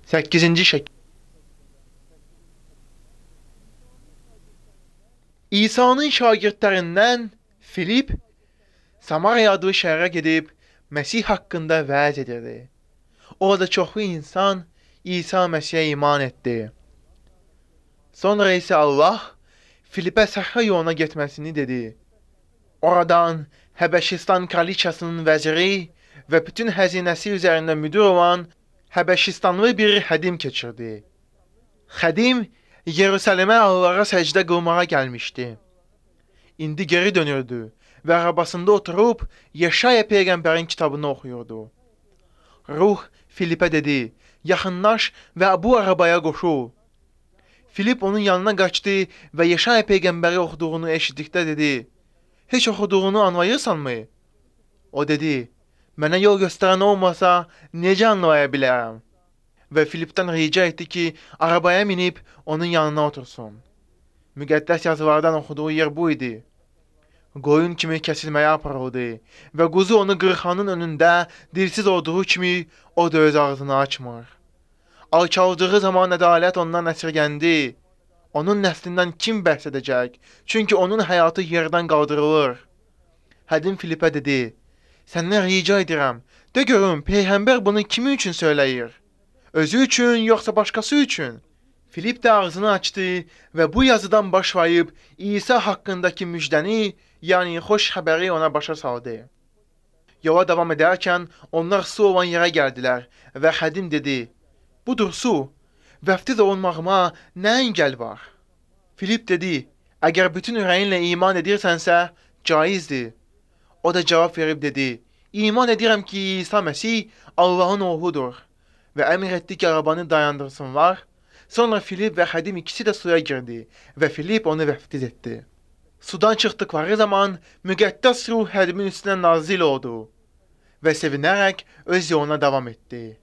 8-ci şəkil. İsa'nın şagirdlərindən Filip Samariya adlı şəhərə gedib Məsih haqqında vəz edirdi. Orada çoxlu insan İsa Məsihə iman etdi. Sonra isə Allah Filipə səhra yoluna getməsini dedi. Oradan Həbəşistan kraliçasının vəziri və bütün həzinəsi üzərində müdür olan Həbəşistanlı bir xədim keçirdi. Xədim Yerusəlimə Allah'a səcdə qılmağa gəlmişdi. İndi geri dönürdü və arabasında oturub Yeşaya peyğəmbərin kitabını oxuyurdu. Ruh Filipə dedi, yaxınlaş və bu arabaya qoşul. Filip onun yanına qaçdı və Yeşaya peyğəmbəri oxuduğunu eşitdikdə dedi, heç oxuduğunu anlayırsanmı? O dedi, mənə yol göstərən olmasa necə anlaya bilərəm? Və Filipdən rica etdi ki, arabaya minib onun yanına otursun. Müqəddəs yazılardan oxuduğu yer bu idi. Qoyun kimi kəsilməyə aparıldı və quzu onu qırxanın önündə dilsiz olduğu kimi o da öz ağzını açmır. Alçaldığı zaman ədalət ondan əsirgəndi. Onun nəslindən kim bəhs edəcək? Çünki onun həyatı yerdən qaldırılır. Hədim Filipə dedi, səndən rica edirəm, de görüm, peyğəmbər bunu kimi üçün söyləyir? Özü üçün, yoxsa başqası üçün? Filip də ağzını açdı və bu yazıdan başlayıb İsa haqqındakı müjdəni, yəni xoş xəbəri ona başa saldı. Yola davam edərkən onlar su olan yerə gəldilər və xədim dedi, budur su, vəftiz olunmağıma nə əngəl var? Filip dedi, əgər bütün ürəyinlə iman edirsənsə, caizdir. O da cavab verib dedi, iman edirəm ki, İsa Məsih Allahın oğludur. Və əmr etdi ki, arabanı dayandırsınlar. Sonra Filip və xədim ikisi də suya girdi və Filip onu vəftiz etdi. Sudan çıxdıqları zaman müqəddəs ruh hədimin üstünə nazil oldu və sevinərək öz yoluna davam etdi.